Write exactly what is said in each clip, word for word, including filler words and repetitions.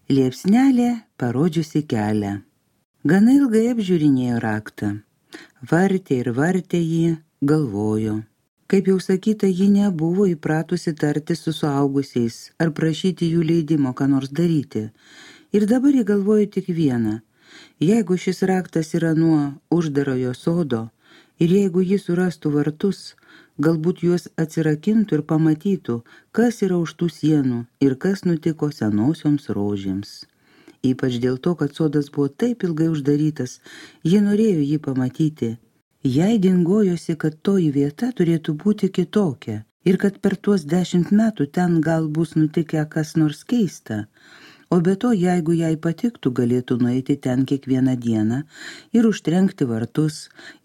Liepsnelė parodžiusi kelią. Gana ilgai apžiūrinėjo raktą. Vartė ir vartė jį, galvojo. Kaip jau sakyta, ji nebuvo įpratusi tarti su suaugusiais ar prašyti jų leidimo, ką nors daryti. Ir dabar ji galvojo tik vieną. Jeigu šis raktas yra nuo uždarojo sodo ir jeigu ji surastų vartus, galbūt juos atsirakintų ir pamatytų, kas yra už tų sienų ir kas nutiko senosioms rožėms. Ypač dėl to, kad sodas buvo taip ilgai uždarytas, ji norėjo jį pamatyti. Jai dingojosi, kad toji vieta turėtų būti kitokia ir kad per tuos dešimt metų ten gal bus nutikę kas nors keista. O be to, jeigu jai patiktų, galėtų nueiti ten kiekvieną dieną ir užtrenkti vartus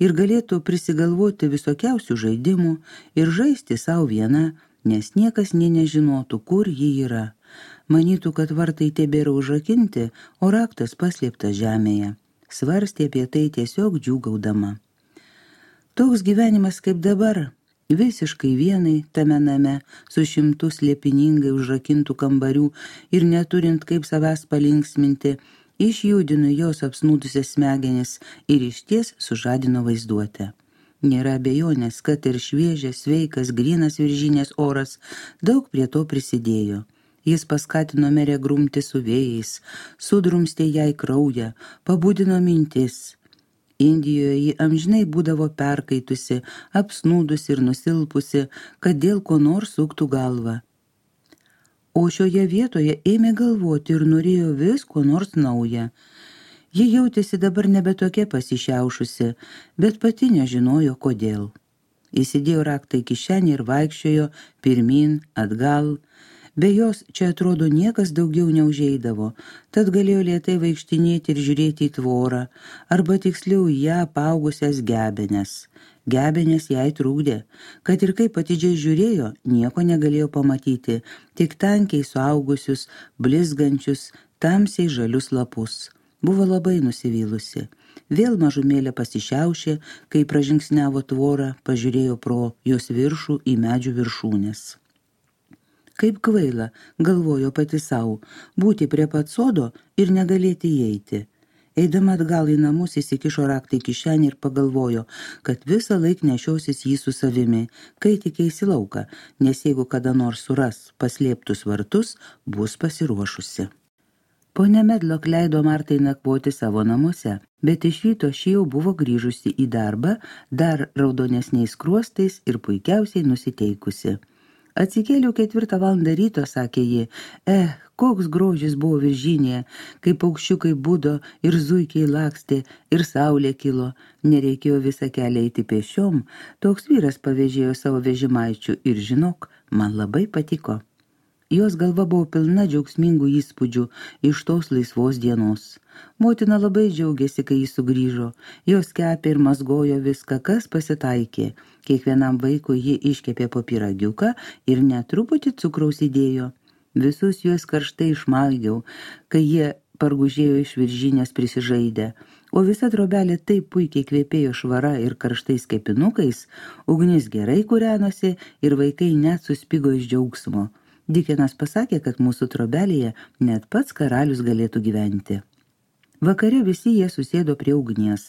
ir galėtų prisigalvoti visokiausių žaidimų ir žaisti savo viena, nes niekas nė nežinotų, kur ji yra. Manytų, kad vartai tebėra užrakinti, o raktas paslėptas žemėje. Svarstė apie tai tiesiog džiūgaudama. Toks gyvenimas kaip dabar, visiškai vienai tame name, su šimtu slėpiningai užrakintų kambarių ir neturint kaip savęs palinksminti, išjudino jos apsnūdusias smegenis ir išties sužadino vaizduotę. Nėra abejonės, kad ir šviežias, sveikas, grynas viržinės oras daug prie to prisidėjo. Jis paskatino merę grumti su vėjais, sudrumstė jai kraują, pabudino mintis. Indijoje ji amžinai būdavo perkaitusi, apsnūdusi ir nusilpusi, kad dėl ko nors suktų galvą. O šioje vietoje ėmė galvoti ir norėjo vis ko nors naują. Ji jautėsi dabar nebe tokia pasišiaušusi, bet pati nežinojo kodėl. Įsidėjo raktą į kišenę ir vaikščiojo pirmyn, atgal. Be jos čia atrodo niekas daugiau neužeidavo, tad galėjo lėtai vaikštinėti ir žiūrėti į tvorą, arba tiksliau ją apaugusias gebenes. Gebenės jai trūkdė, kad ir kaip atidžiai žiūrėjo, nieko negalėjo pamatyti, tik tankiai suaugusius, blizgančius, tamsiai žalius lapus. Buvo labai nusivylusi. Vėl mažumėlė pasišiaušė, kai pražingsniavo tvorą, pažiūrėjo pro jos viršų į medžių viršūnės. Kaip kvaila, galvojo pati savo, būti prie pat sodo ir negalėti įeiti. Eidama atgal į namus įsikišo raktą į kišenį ir pagalvojo, kad visą laik nešiosis jį su savimi, kai tik eis į lauką, nes jeigu kada nors suras paslėptus vartus, bus pasiruošusi. Ponia Medlock leido Martai nakvoti savo namuose, bet iš ryto ši jau buvo grįžusi į darbą, dar raudonesniais skruostais ir puikiausiai nusiteikusi. Atsikėliau ketvirtą valandą ryto, sakė ji, eh, koks grožis buvo viržinėje, kai paukščiukai budo ir zuikiai lakstė ir saulė kilo, nereikėjo visą kelią eiti pešiom, toks vyras pavėžėjo savo vežimaičių ir žinok, man labai patiko. Jos galva buvo pilna džiaugsmingų įspūdžių iš tos laisvos dienos. Motina labai džiaugiasi, kai jis sugrįžo. Jos kepė ir mazgojo viską, kas pasitaikė. Kiekvienam vaikui ji iškepė po pyragiuką ir netruputį cukraus įdėjo. Visus juos karštai išmaugiau, kai jie pargužėjo iš viržinės prisižaidę. O visa trobelė taip puikiai kvepėjo švara ir karštais kepinukais, ugnis gerai kūrenosi ir vaikai net suspigo iš džiaugsmo. Dikenas pasakė, kad mūsų trobelėje net pats karalius galėtų gyventi. Vakare visi jie susėdo prie ugnies.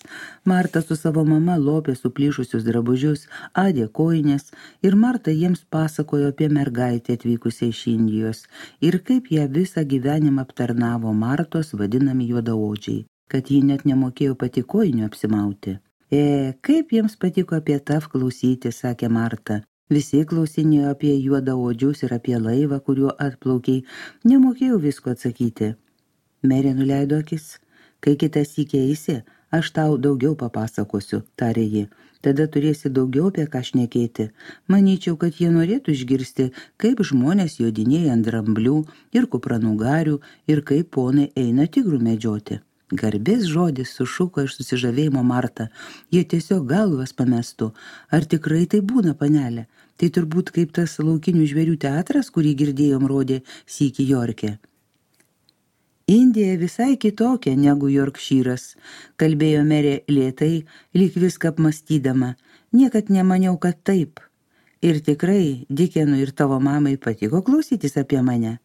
Marta su savo mama lopė suplyšusius drabužius, adė kojines ir Marta jiems pasakojo apie mergaitę atvykusią iš Indijos ir kaip ją visą gyvenimą aptarnavo Martos vadinami juodaodžiai, kad ji net nemokėjo pati kojinių apsimauti. E, kaip jiems patiko apie tav klausyti, sakė Marta. Visi klausinėjo apie juodaodžius ir apie laivą, kuriuo atplaukiai. Nemokėjau visko atsakyti. Merė nuleido akis. Kai kitą sykį eisi, aš tau daugiau papasakosiu, tarė ji. Tada turėsi daugiau apie ką šnekėti. Manyčiau, kad jie norėtų išgirsti, kaip žmonės jodinėja ant dramblių ir kupranugarių ir kaip ponai eina tigrų medžioti. Garbės žodis sušuko iš susižavėjimo Marta. Jie tiesiog galvas pamestų. Ar tikrai tai būna, panelė? Tai turbūt kaip tas laukinių žvėrių teatras, kurį girdėjom rodė sykį Jorke. Indija visai kitokia negu Jorkšyras, kalbėjo merė lėtai, lyg viską apmastydama. Niekad nemaniau, kad taip. Ir tikrai Dikenui ir tavo mamai patiko klausytis apie mane.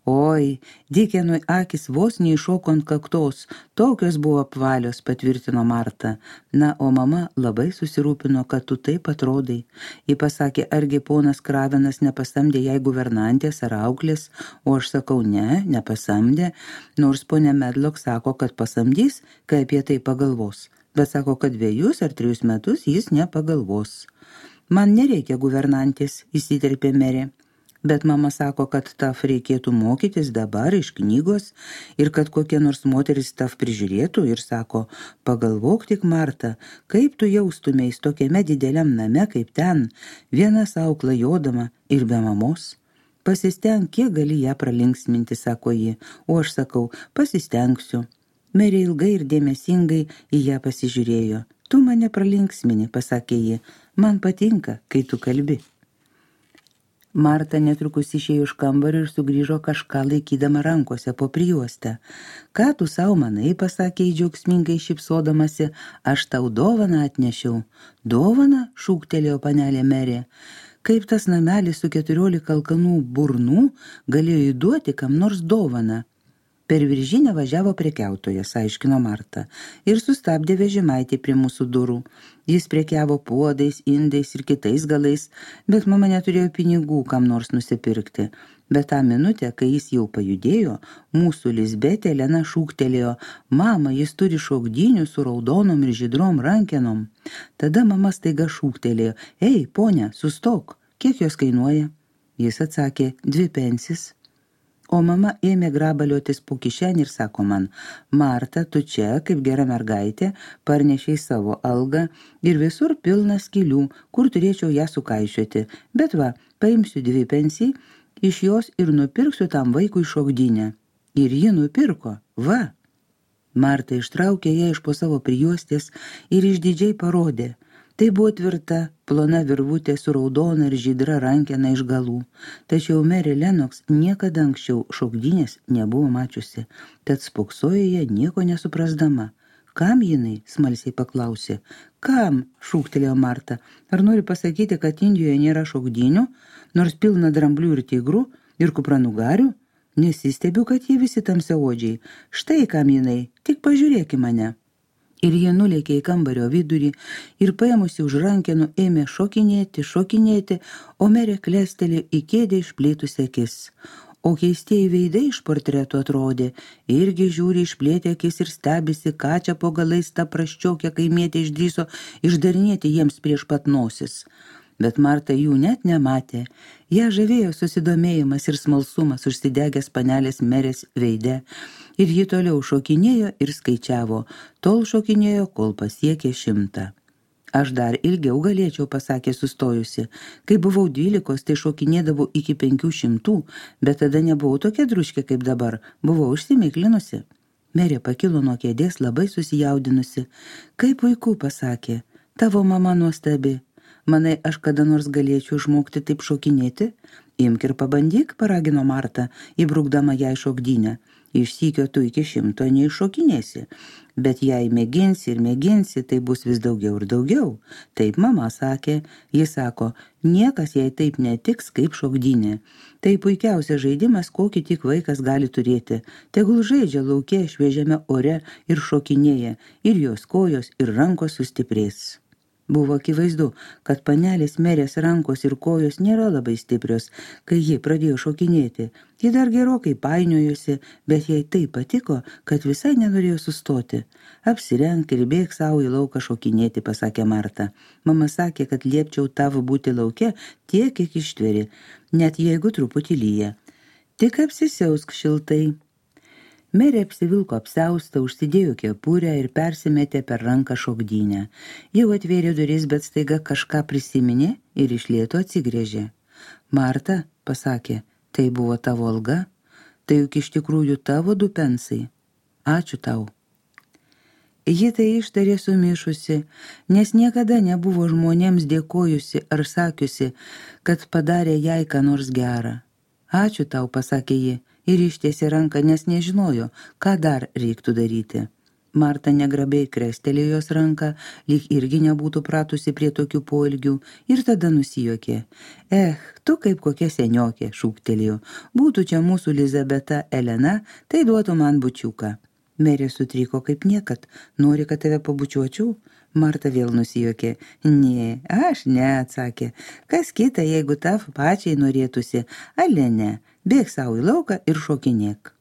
Oi, Dikenui akis vos neiššoko ant kaktos, tokios buvo apvalios, patvirtino Marta. Na, o mama labai susirūpino, kad tu taip atrodai. Ji pasakė, argi ponas Kravenas nepasamdė jai guvernantės ar auklės, o aš sakau, ne, nepasamdė, nors ponė Medlock sako, kad pasamdys, kai apie tai pagalvos. Bet sako, kad dviejus ar trijus metus jis nepagalvos. Man nereikia guvernantės, įsiterpė merė, bet mama sako, kad taf reikėtų mokytis dabar iš knygos ir kad kokia nors moteris taf prižiūrėtų ir sako, pagalvok tik, Marta, kaip tu jaustumeis tokiame dideliam name kaip ten, viena sau klajodama ir be mamos. Pasisteng, kiek gali ją pralinksminti, sako ji, o aš sakau, pasistengsiu. Merė ilgai ir dėmesingai į ją pasižiūrėjo. Tu mane pralinksmini, pasakė ji, man patinka, kai tu kalbi. Marta netrukus išėjo iš kambario ir sugrįžo kažką laikydama rankose po prijuostę. Ką tu sau manai, pasakė į džiaugsmingai šypsodamasi, aš tau dovaną atnešiau. Dovaną, šūktelėjo panelė merė. Kaip tas namelis su keturiolika alkanų burnų galėjo įduoti kam nors dovaną? Per viržinę važiavo prekiautojas, aiškino Marta, ir sustabdė vežimaitį prie mūsų durų. Jis prekiavo puodais, indais ir kitais galais, bet mama neturėjo pinigų kam nors nusipirkti. Bet tą minutę, kai jis jau pajudėjo, mūsų Lisbetė Elena šūktelėjo, mama, jis turi šokdynių su raudonom ir žydrom rankenom. Tada mama staiga šūktelėjo, ei, ponia, sustok, kiek jos kainuoja? Jis atsakė, dvi pensis. O mama ėmė grabaliotis po kišenį ir sako man, Marta, tu čia, kaip gera mergaitė, parnešiai savo algą ir visur pilna skylių, kur turėčiau ją sukaišiuoti. Bet va, paimsiu dvi pensijai, iš jos ir nupirksiu tam vaikui šokdynę. Ir ji nupirko, va. Marta ištraukė ją iš po savo prijuostės ir išdidžiai parodė. Tai buvo tvirta, plona virvutė su raudona ir žydra rankena iš galų. Tačiau merė Lenoks niekada anksčiau šokdynės nebuvo mačiusi, tad spoksojo ją nieko nesuprasdama. Kam jinai, smalsiai paklausė. Kam, šūktelėjo Marta. Ar nori pasakyti, kad Indijoje nėra šokdynių, nors pilna dramblių ir tigrų ir kupranugarių? Nesistebiu, kad jie visi tamsiaodžiai. Štai kam jinai, tik pažiūrėk į mane. Ir jie nulėkė į kambario vidurį ir paėmusi už rankenų ėmė šokinėti, šokinėti, o merė klestelė į kėdę išplėtusi akis. O keistieji veidai iš portretų atrodė, irgi žiūri išplėtę akis ir stebisi, ką čia po galais ta praščiokia kaimietė išdrįso išdarinėti jiems prieš pat nosis. Bet Marta jų net nematė. Ją žavėjo susidomėjimas ir smalsumas užsidegęs panelės merės veide. Ir ji toliau šokinėjo ir skaičiavo, tol šokinėjo, kol pasiekė šimtą. Aš dar ilgiau galėčiau, pasakė sustojusi. Kai buvau dvylikos, tai šokinėdavau iki penkių šimtų, bet tada nebuvau tokia druškė kaip dabar, buvau užsimiklinusi. Merė pakilo nuo kėdės labai susijaudinusi. Kaip puiku, pasakė, tavo mama nuostabi. Manai, aš kada nors galėčiau išmokti taip šokinėti? Imk ir pabandyk, paragino Marta, įbrukdama jai šokdynę. Iš sykio tu iki šimto neiššokinėsi, bet jei mėginsi ir mėginsi, tai bus vis daugiau ir daugiau. Taip mama sakė, jis sako, niekas jai taip netiks kaip šokdynė. Tai puikiausias žaidimas, kokį tik vaikas gali turėti. Tegul žaidžia lauke šviežiame ore ir šokinėja, ir jos kojos ir rankos sustiprės. Buvo akivaizdu, kad panelės merės rankos ir kojos nėra labai stiprios, kai ji pradėjo šokinėti. Ji dar gerokai painiojosi, bet jai tai patiko, kad visai nenorėjo sustoti. Apsirenk ir bėk savo į lauką šokinėti, pasakė Marta. Mama sakė, kad liepčiau tavo būti lauke tiek, kiek ištveri, net jeigu truputį lyja. Tik apsisiausk šiltai. Merė apsivilko apsiaustą, užsidėjo kepurę ir persimetė per ranką šokdynę. Jau atvėrė duris, bet staiga kažką prisiminė ir iš lėto atsigrėžė. Marta, pasakė, tai buvo tavo alga? Tai juk iš tikrųjų tavo du pensai. Ačiū tau. Ji tai ištarė sumišusi, nes niekada nebuvo žmonėms dėkojusi ar sakiusi, kad padarė jai ką nors gerą. Ačiū tau, pasakė ji. Ir ištiesė ranką, nes nežinojo, ką dar reiktų daryti. Marta negrabiai krestelėjo jos ranką, lyg irgi nebūtų pratusi prie tokių poelgių, ir tada nusijuokė. Eh, tu kaip kokia seniokė, šūktelėjo. Būtų čia mūsų Lizabeta Elena, tai duotų man bučiuką. Merė sutriko kaip niekad. Nori, kad tave pabučiuočiau? Marta vėl nusijuokė. Ne, aš ne, atsakė. Kas kita, jeigu tau pačiai norėtųsi? Ale ne, bėk savo į lauką ir šokinėk.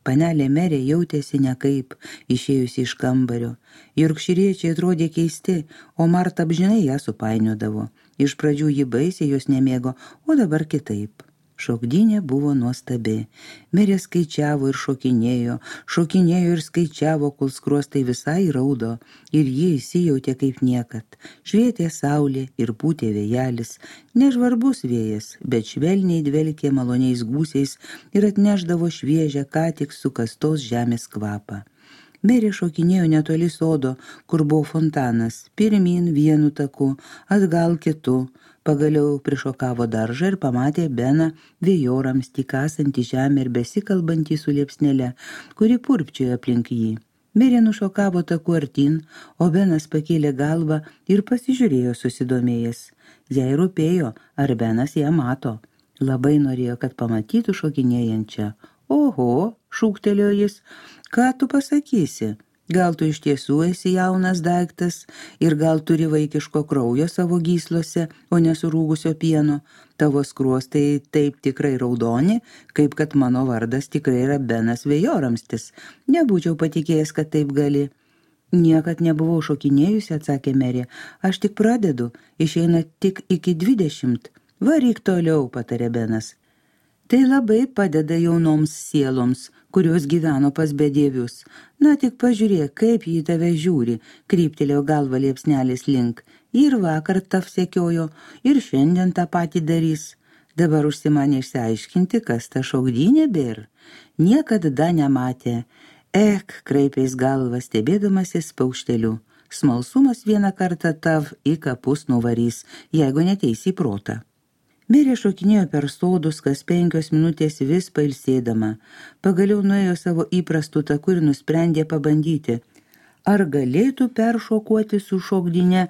Panelė Merė jautėsi nekaip, išėjusi iš kambario. Jorkšyriečiai atrodė keisti, o Marta apžinai ją supainiodavo. Iš pradžių ji baisiai jos nemėgo, o dabar kitaip. Šokdynė buvo nuostabi. Merė skaičiavo ir šokinėjo, šokinėjo ir skaičiavo, kol skruostai visai raudo, ir ji įsijautė kaip niekad. Švietė saulė ir pūtė vėjelis, nežvarbus vėjas, bet švelniai dvelkė maloniais gūsiais ir atnešdavo šviežią, ką tik sukastos žemės kvapą. Merė šokinėjo netoli sodo, kur buvo fontanas, pirmyn vienu taku, atgal kitu. Pagaliau prišokavo daržą ir pamatė Beną vėjorams tik kasantį žemę ir besikalbantį su liepsnele, kuri purpčiojo aplink jį. Merė nušokavo taku artin, o Benas pakėlė galvą ir pasižiūrėjo susidomėjęs. Jai rūpėjo, ar Benas ją mato. Labai norėjo, kad pamatytų šokinėjančią. Oho, šūktelėjo jis, ką tu pasakysi? Gal tu iš tiesų esi jaunas daiktas ir gal turi vaikiško kraujo savo gyslose, o nesurūgusio pieno. Tavo skruostai taip tikrai raudoni, kaip kad mano vardas tikrai yra Benas Vėjoramstis. Nebūčiau patikėjęs, kad taip gali. Niekad nebuvau šokinėjusi, atsakė Merė. Aš tik pradedu, išeina tik iki dvidešimt. Varyk toliau, patarė Benas. Tai labai padeda jaunoms sieloms, kurios gyveno pas bedievius. Na tik pažiūrėk, kaip jį tave žiūri, kryptelėjo galva liepsnelės link. Ir vakar tav sekiojo, ir šiandien tą patį darys. Dabar užsimanė išsiaiškinti, kas ta šokdynė bėr. Niekada nematė. Ek, kreipės galvą, stebėdamasis paukšteliu. Smalsumas vieną kartą tav į kapus nuvarys, jeigu neteisi į protą. Merė šokinėjo per sodus, kas penkios minutės vis pailsėdama. Pagaliau nuėjo savo įprastų taku ir nusprendė pabandyti, ar galėtų peršokuoti su šokdynė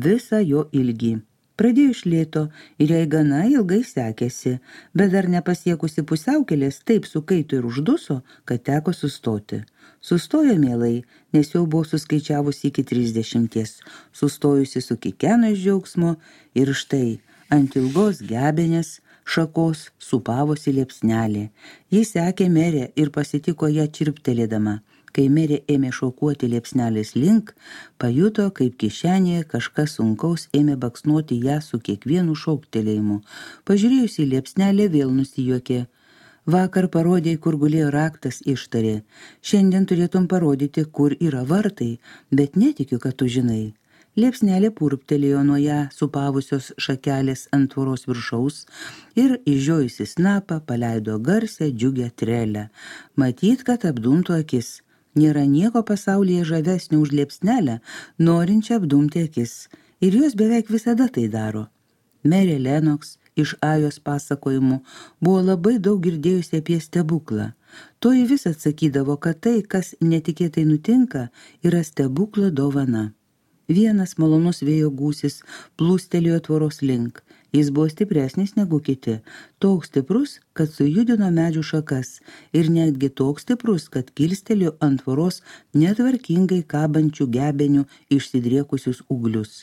visą jo ilgį. Pradėjo iš lėto ir jai gana ilgai sekėsi, bet dar nepasiekusi pusiaukelės taip sukaito ir užduso, kad teko sustoti. Sustojo mielai, nes jau buvo suskaičiavusi iki trisdešimties, sustojusi su kikeno iš džiaugsmo ir štai, ant ilgos gebenės šakos supavosi liepsnelė. Jis sekė Merę ir pasitiko ją čirptelėdama. Kai Merė ėmė šokuoti liepsnelės link, pajuto, kaip kišenėje kažkas sunkaus ėmė baksnuoti ją su kiekvienu šoktelėjimu. Pažiūrėjusi liepsnelė vėl nusijuokė. Vakar parodėjai, kur gulėjo raktas, ištarė. Šiandien turėtum parodyti, kur yra vartai, bet netikiu, kad tu žinai. Liepsnelė purptelėjo nuo ją supavusios šakelės ant tvoros viršaus ir išžiojusi snapą paleido garsę džiugę trelę. Matyt, kad apdumtų akis. Nėra nieko pasaulyje žavesnio už liepsnelę, norinčią apdumti akis. Ir jos beveik visada tai daro. Merė Lenoks iš Ajos pasakojimų buvo labai daug girdėjusi apie stebuklą. Toji vis atsakydavo, kad tai, kas netikėtai nutinka, yra stebuklo dovana. Vienas malonus vėjo gūsis plūstelėjo tvoros link. Jis buvo stipresnis negu kiti, toks stiprus, kad sujudino medžių šakas ir netgi toks stiprus, kad kilstelėjo ant tvoros netvarkingai kabančių gebenių išsidriekusius ūglius.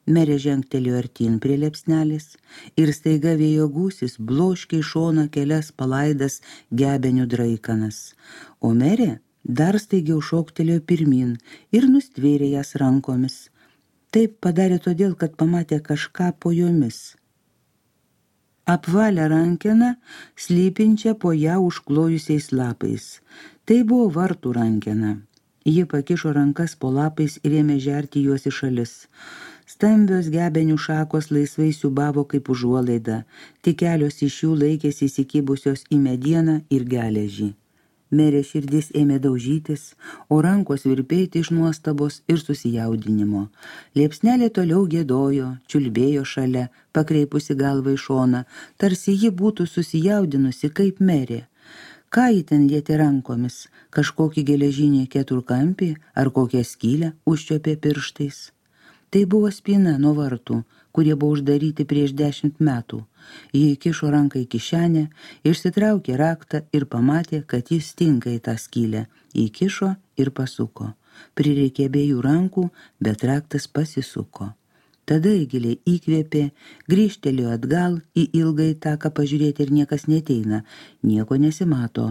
Merė žengtelėjo artin prie liepsnelės ir staiga vėjo gūsis bloškė į šoną kelias palaidas gebenių draikanas. O Merė dar staigiau šoktelėjo pirmin ir nustvėrė jas rankomis. Taip padarė todėl, kad pamatė kažką po jomis. Apvalę rankeną, slypinčią po ją užklojusiais lapais. Tai buvo vartų rankena. Ji pakišo rankas po lapais ir ėmė žerti juos į šalis. Stambios gebenių šakos laisvai siūbavo kaip užuolaida, tik kelios iš jų laikėsi įsikibusios į medieną ir geležį. Merė širdis ėmė daužytis, o rankos virpėti iš nuostabos ir susijaudinimo. Liepsnelė toliau giedojo, čiulbėjo šalia, pakreipusi galvą į šoną, tarsi ji būtų susijaudinusi kaip Merė. Ką jį ten lietė rankomis, kažkokį geležinį keturkampį ar kokią skylę užčiuopė pirštais. Tai buvo spyna nuo vartų, kurie buvo uždaryti prieš dešimt metų. Jį įkišo ranką į kišenę, išsitraukė raktą ir pamatė, kad jis tinka į tą skylę. Įkišo ir pasuko. Prireikė abiejų rankų, bet raktas pasisuko. Tada Eigilė įkvėpė, grįžtelėjo atgal į ilgąjį taką pažiūrėti ir niekas neteina, nieko nesimato,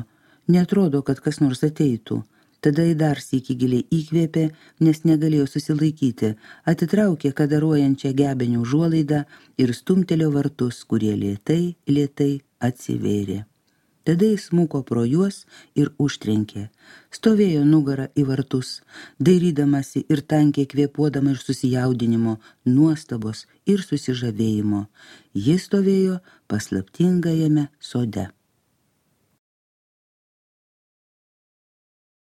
netrodo, kad kas nors ateitų. Tada į dar sykį giliai įkvėpė, nes negalėjo susilaikyti, atitraukė kadaruojančią gebenių užuolaidą ir stumtelėjo vartus, kurie lėtai, lėtai atsivėrė. Tada jis smuko pro juos ir užtrenkė. Stovėjo nugarą į vartus, dairydamasi ir tankiai kvėpuodama iš susijaudinimo, nuostabos ir susižavėjimo. Jis stovėjo paslaptingajame sode.